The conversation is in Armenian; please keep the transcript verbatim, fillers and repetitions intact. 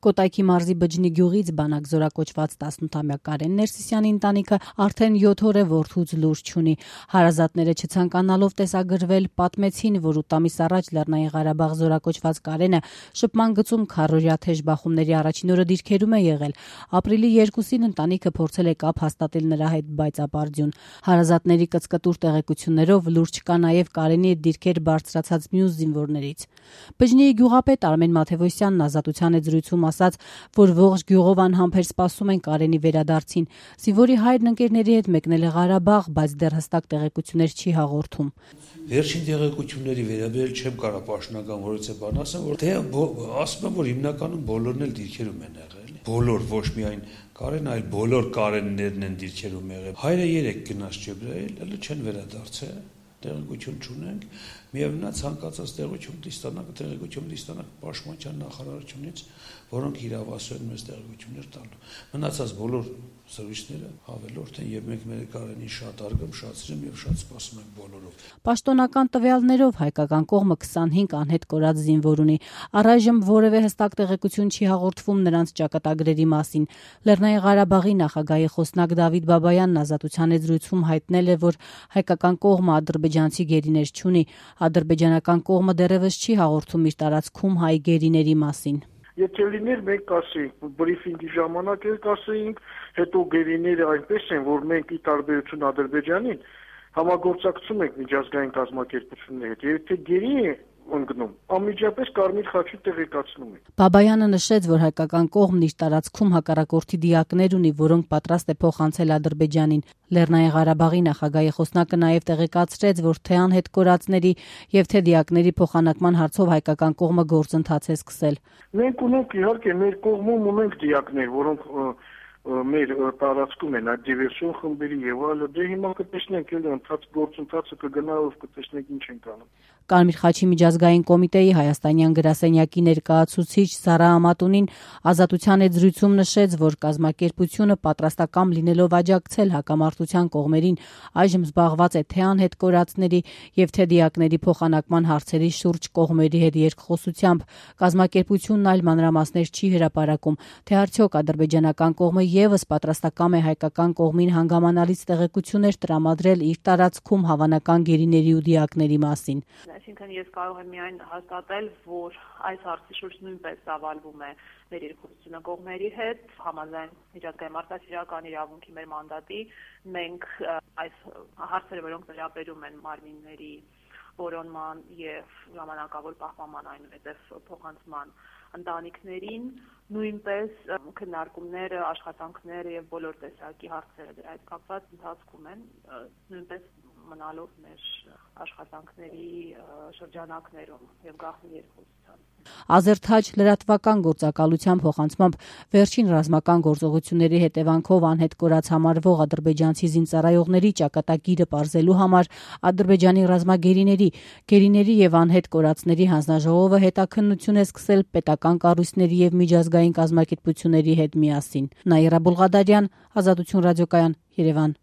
Կոտայքի մարզի Բջնի գյուղից բանակ զորակոչված տասնութամյա Կարեն Ներսիսյանի ընտանիքը արդեն յոթ օր է որդուց լուր չունի։ Հարազատները չցանկանալով տեսագրվել պատմեցին, որ ութ ամիս առաջ Լեռնային Ղարաբաղ զորակոչված Կարենը շփման գծում քառօրյա թեժ բախումների առաջին օրը դիրքերում է եղել։ Ապրիլի երկուսին ընտանիքը փորձել է կապ հաստատել նրա հետ, բայց ապարդյուն։ Հարազատների կծկտուր տեղեկություններով լուր չկա նաև Կարենի դիրքեր բարձրացած մյուս զինվորներից։ Բջնիի գյուղապետ Արմեն Մաթևոսյանն Ազատության հետ զրույցում ասաց, որ ողջ գյուղով անհամբեր սպասում են Կարենի վերադարձին։ Զինվորի հայրն ընկերների հետ մեկնել է Ղարաբաղ, բայց դեռ հստակ տեղեկություններ չի հաղորդում։ Վերջին տեղեկությունների վերաբերյալ չեմ կարող պաշտոնական որից է բան ասեմ, որ թե ասում եմ, որ հիմնականում բոլորն էլ դիրքերում են եղել։ Բոլոր, ոչ միայն Կարեն, այլ բոլոր Կարեններն են դիրքերում եղել։ Հայրը երեք գնաց Ջեբրայել, հələ չեն վերադարձել։ Տեղեկություն չունենք, միևնույն ցանկացած տեղեկություն դիստանակ, տեղեկություն դիստանակ Պաշտպանության նախարարությունից, որոնք իրավասու են մեզ տեղեկություններ տալու։ Մնացած բոլոր զրույցները հավելորդ են եւ մենք մեր Կարենին շատ արգում, շատ սիրում եւ շատ սպասում ենք բոլորով։ Պաշտոնական տվյալներով հայկական կողմը քսանհինգ անհետ կորած զինվոր ունի։ Առայժմ որևէ հստակ տեղեկություն չի հաղորդվում նրանց ճակատագրերի մասին։ Լեռնային Ղարաբաղի նախագահի խոսնակ Դավիթ Բաբայանն Ազատության հետ զրույցում հայտնել է, որ հայկական կողմը ադրբեջանցի գերիներ չունի։ Ադրբեջանական կողմը դեռևս չի հաղորդում իր տարածքում հայ գերիների մասին։ Եթե լիներ մենք կասեինք, բրիֆինգի ժամանակ էլ կասեինք, հետո գերիները այնպես են, որ մենք ի տարբերություն Ադրբեջանին համագործակցում ենք միջազգային կազմակերպությունների հետ, եթե գերի է ընկնում, անմիջապես Կարմիր խաչի տեղեկացնում ենք։ Բաբայանը նշեց, որ հայկական կողմն իր տարածքում հակառակորդի դիակներ ունի, որոնք պատրաստ է փոխանցել Ադրբեջանին։ Լեռնային Ղարաբաղի նախագահի խոսնակը նաև տեղեկացրեց, որ թե անհետ կորածների եւ թե դիակների փոխանակման հարցով հայկական կողմը գործընթաց է սկսել։ Մենք ունենք իհարկե մեր կողմում ունենք դիակներ, որոնք մեր տարածքում են այդ դիվերսիոն խմբերի եւ այլը, դե հիմա կտեսնենք էլ ընթաց գործընթացը կգնա, ով կտեսնենք ինչ են կանում։ Կարմիր խաչի միջազգային կոմիտեի հայաստանյան գրասենյակի ներկայացուցիչ Սարա Ամատունին Ազատության հետ զրույցում նշեց, որ կազմակերպությունը պատրաստական լինելով աջակցել հակամարտության կողմերին, այժմ զբաղված է թե անհետ կորածների եւ թե դիակների փոխանակման հարցերի շուրջ կողմերի հետ երկխոսությամբ։ Կազմակերպությունն այլ մանրամասներ չի հրապարակում, թե արդյոք ադրբեջանական կողմը եւս պատրաստական է հայկական կողմին հանգամանալից տեղեկություններ տրամադրել իր տարածքում հավանական գերիների ու դիակների մասին։ Այսինքն ես կարող եմ միայն հաստատել, որ այս հարցի շուրջ նույնպես ծավալվում է մեր երկխոսությունը կողմերի հետ, համաձայն միջազգային մարդասիրական իրավունքի մեր մանդատի, մենք այս հարցերը, որոնք վերաբերում են մարմինների որոնման եւ ժամանակավոր պահպանման, այնուհետեւ փոխանցման ընտանիքներին, նույնպես քննարկումները, աշխատանքները եւ բոլոր տեսակի հարցերը դրա հետ կապված ընթացքում են, նույնպես մնալով մեր աշխատանքների շրջանակներում եւ գաղտնի երկխոսության։ Ազերթաջ լրատվական գործակալության փոխանցմամբ վերջին ռազմական գործողությունների հետևանքով անհետ կորած համարվող ադրբեջանցի զինծառայողների ճակատագիրը պարզելու համար Ադրբեջանի ռազմագերիների, գերիների եւ անհետ կորածների հանձնաժողովը հետաքննություն է սկսել պետական կառույցների եւ միջազգային կազմակերպությունների հետ միասին։ Նաիրա Բուլղադարյան, Ազատություն ռադիոկայան, Երևան։